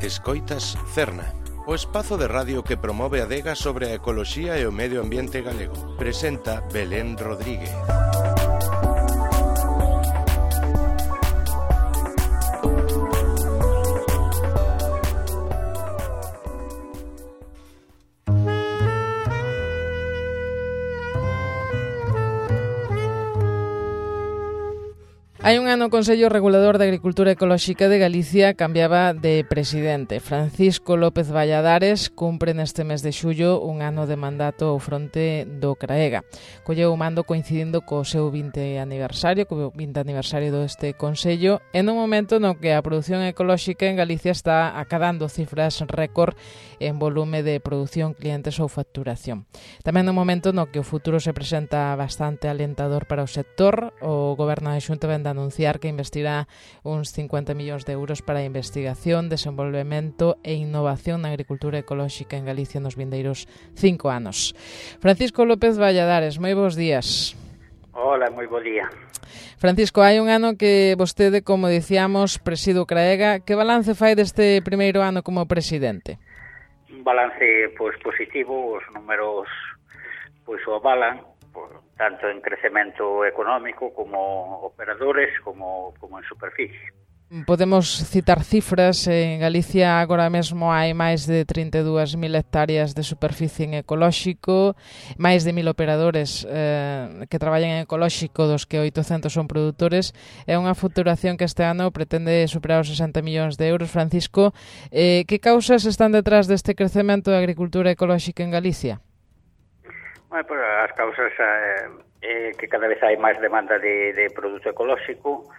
Escoitas Cerna, o espazo de radio que promove a adega sobre a ecoloxía e o medio ambiente galego. Presenta Belén Rodríguez. Hai un ano o Consello Regulador de Agricultura Ecolóxica de Galicia cambiaba de presidente. Francisco López Valladares cumpre neste mes de xullo un ano de mandato ao fronte do CRAEGA. Colleu o mando coincidindo co seu 20 aniversario deste Consello, en un momento no que a produción ecolóxica en Galicia está acadando cifras récord en volume de produción, clientes ou facturación. Tamén no momento no que o futuro se presenta bastante alentador para o sector, o Goberno da Xunta vende anunciar que investirá uns 50 millóns de euros para a investigación, desenvolvemento e innovación na agricultura ecolóxica en Galicia nos vindeiros 5 anos. Francisco López Valladares, moi bons días. Hola, moi bo día. Francisco, hai un ano que vostede, como dicíamos, preside o CRAEGA. Que balance fai deste primeiro ano como presidente? Un balance positivo, os números o avalan, tanto en crecemento económico como operadores, como en superficie. Podemos citar cifras. En Galicia agora mesmo hai máis de 32.000 hectáreas de superficie en ecolóxico, máis de 1.000 operadores que traballan en ecolóxico, dos que 800 son produtores. É unha facturación que este ano pretende superar os 60 millóns de euros. Francisco, que causas están detrás deste crecemento da agricultura ecolóxica en Galicia? Bueno, pues as causas é que cada vez hai máis demanda de produto ecolóxico.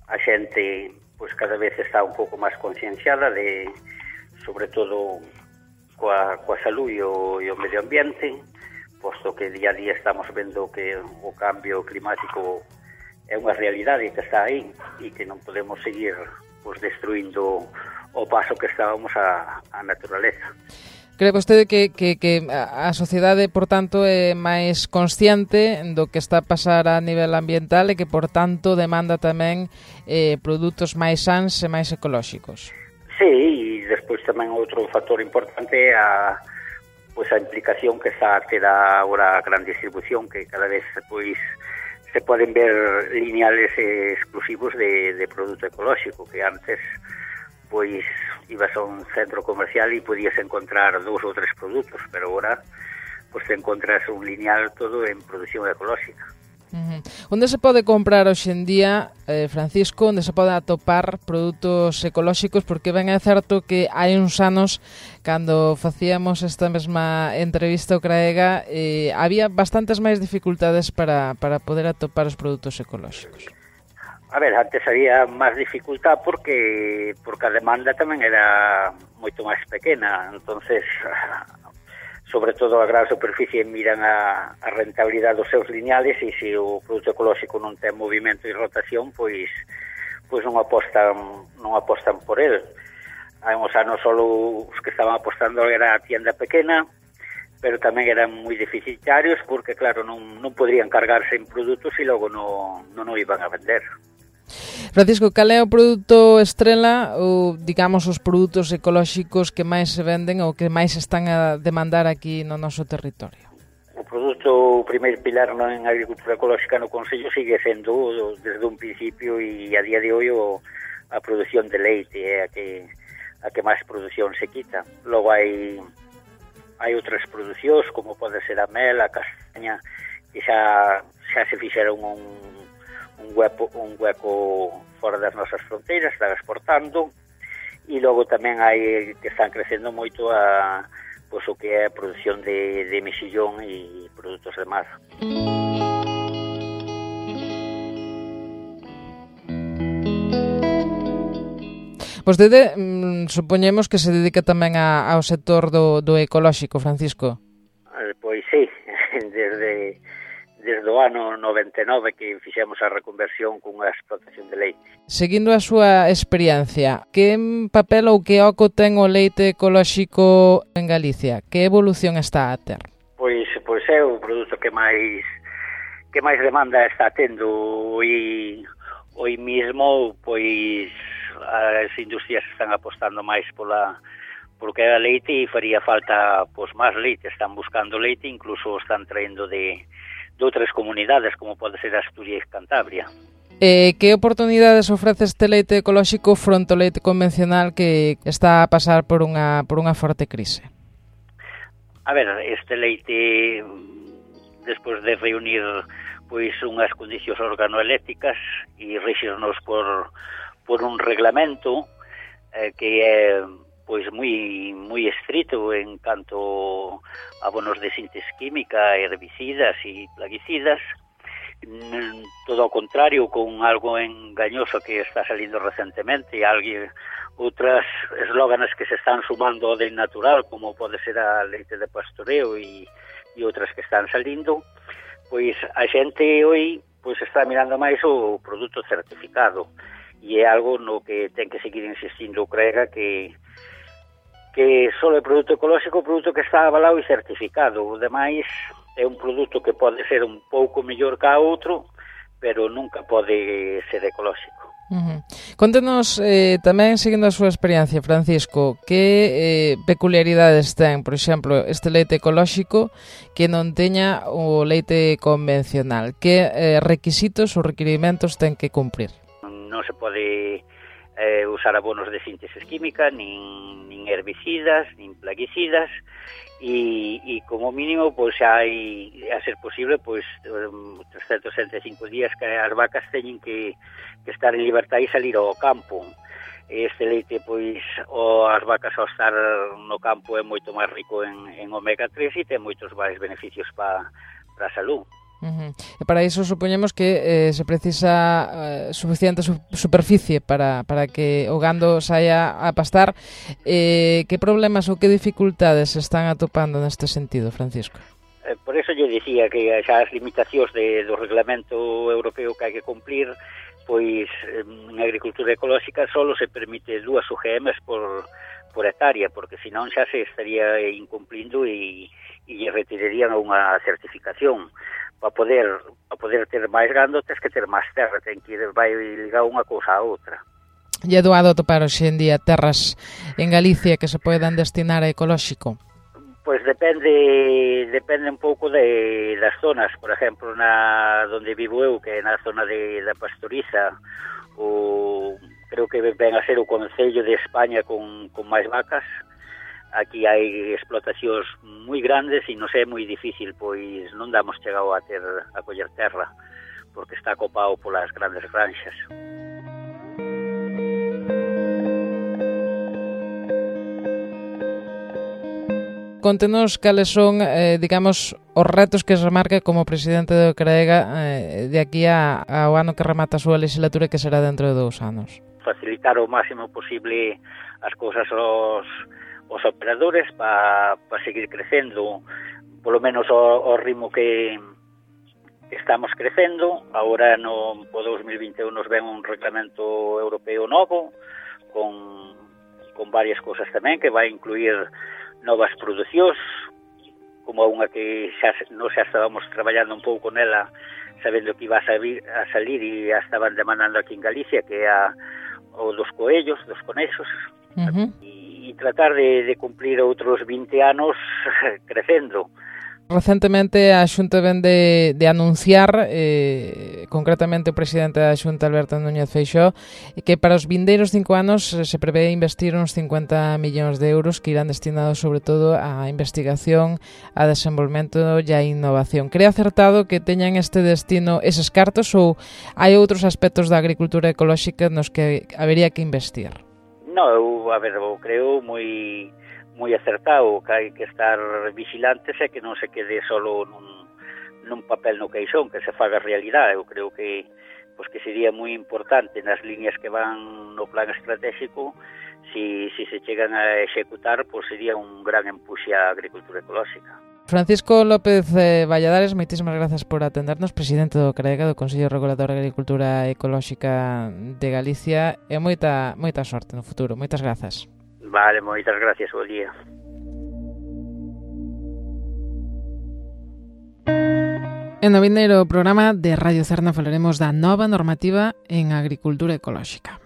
A xente cada vez está un pouco máis concienciada de, sobre todo, coa salud e o medio ambiente, posto que día a día estamos vendo que o cambio climático é unha realidade que está aí e que non podemos seguir destruindo o paso que estábamos a naturaleza. Cree vostede que a sociedade, por tanto, é máis consciente do que está a pasar a nivel ambiental e que, por tanto, demanda tamén produtos máis sans e máis ecolóxicos? Sí, e despois tamén outro factor importante é a implicación que está a ter agora a gran distribución, que cada vez se poden ver lineales exclusivos de produto ecolóxico, que antes ibas a un centro comercial e podías encontrar 2 ou 3 produtos, pero agora te encontras un lineal todo en produción ecolóxica. Onde se pode comprar hoxe en día, Francisco, onde se pode atopar produtos ecolóxicos? Porque ben é certo que hai uns anos, cando facíamos esta mesma entrevista ao CRAEGA, había bastantes máis dificultades para poder atopar os produtos ecolóxicos. A ver, antes había máis dificultad porque a demanda tamén era moito máis pequena, entonces, sobre todo a gran superficie miran a rentabilidade dos seus lineales e se o produto ecolóxico non ten movimento e rotación, pois non apostan por el. Hai uns anos só os que estaban apostando era a tienda pequena, pero tamén eran moi deficitarios porque, claro, non poderían cargarse en produtos e logo non o iban a vender. Francisco, cal é o produto estrela ou, digamos, os produtos ecolóxicos que máis se venden ou que máis están a demandar aquí no noso territorio? O primeiro pilar en agricultura ecolóxica no Consello sigue sendo desde un principio e a día de hoy a produción de leite é a que máis produción se quita. Logo hai outras producións como pode ser a mel, a castaña, que xa se fixeron un hueco fora das nosas fronteiras, están exportando, e logo tamén hai que están crecendo moito o que é a produción de mexillón e produtos de mar. Vostede, supoñemos que se dedica tamén ao sector do ecolóxico, Francisco. Pois sí, desde o ano 99 que fixemos a reconversión cunha explotación de leite. Seguindo a súa experiencia, que papel ou que oco ten o leite ecolóxico en Galicia? Que evolución está a ter? Pois é o produto que máis demanda está tendo hoy mismo, as industrias están apostando máis porque a leite e faría falta pois máis leite, están buscando leite, incluso están traendo de outras comunidades como pode ser Asturias e Cantabria. Que oportunidades ofrece este leite ecolóxico fronte ao leite convencional que está a pasar por unha forte crise? A ver, este leite, despois de reunir pois unhas condicións organoelécticas e rexirnos por un reglamento que é pois moi estrito en canto a abonos de síntese química, herbicidas e plaguicidas, todo ao contrario, con algo engañoso que está salindo recentemente, outras eslóganes que se están sumando ao del natural, como pode ser a leite de pastoreo e outras que están salindo, pois a xente hoy pois está mirando máis o produto certificado, e é algo no que ten que seguir insistindo o CREGA, que só é produto ecolóxico, o produto que está avalado e certificado. O demais é un produto que pode ser un pouco mellor que a outro, pero nunca pode ser ecolóxico. Contenos tamén, seguindo a súa experiencia, Francisco, que peculiaridades ten, por exemplo, este leite ecolóxico que non teña o leite convencional? Que requisitos ou requirimentos ten que cumprir? Non se pode usar abonos de síntese química, nin herbicidas, nin plaguicidas, e como mínimo pois hai, a ser posible, pois 365 días que as vacas teñen que estar en libertad e salir ao campo. Este leite, pois, as vacas ao estar no campo é moito máis rico en omega 3 e ten moitos máis beneficios para a salud. E para iso supoñemos que se precisa suficiente superficie para que o gando saia a pastar. Que problemas ou que dificultades se están atopando neste sentido, Francisco? Por eso yo dicía que xa as limitacións do reglamento europeo que hai que cumplir, pois en agricultura ecolóxica só se permite 2 UGMs por hectárea, porque senón xa se estaría incumplindo e retirarían unha certificación. Para poder ter máis gando, tens que ter máis terra, vai ligar unha cousa a outra. E é doado atopar hoxe en día terras en Galicia que se poden destinar a ecolóxico? Pois depende un pouco das zonas. Por exemplo, donde vivo eu, que é na zona da Pastoriza, creo que ven a ser o concello de España con máis vacas. Aquí hai explotacións moi grandes e non é moi difícil, pois non damos chegado a coller terra, porque está copado polas grandes granxas. Contenos cales son, digamos, os retos que se marca como presidente do CREGA de aquí ao ano que remata a súa legislatura, que será dentro de 2 anos. Facilitar o máximo posible as cousas os operadores para seguir crecendo, polo menos ao ritmo que estamos crecendo. Agora no 2021 nos ven un reglamento europeo novo con varias cousas tamén, que vai incluir novas producións, como unha que xa estábamos traballando un pouco nela, sabendo que iba a salir e a estaban demandando aquí en Galicia, que é o dos coellos, dos conexos, e tratar de cumplir outros 20 anos crecendo. Recentemente a Xunta ven de anunciar, concretamente o presidente da Xunta, Alberto Núñez Feixóo, que para os vindeiros 5 anos se prevé investir uns 50 millóns de euros que irán destinados sobre todo á investigación, a desenvolvemento e a innovación. Cree acertado que teñan este destino eses cartos, ou hai outros aspectos da agricultura ecolóxica nos que habería que investir? No, eu creo moi acertado, que hai que estar vigilantes e que non se quede solo nun papel no queixón, que se faga realidade. Eu creo que sería moi importante nas líneas que van no plan estratégico, si se chegan a executar, sería un gran empuxe á agricultura ecolóxica. Francisco López Valladares, moitísimas grazas por atendernos, presidente do CREGA, do Consello Regulador de Agricultura Ecolóxica de Galicia, e moita sorte no futuro. Moitas grazas. Vale, moitas gracias, bo día. En no vindeiro programa de Radio Cerna falaremos da nova normativa en agricultura ecolóxica.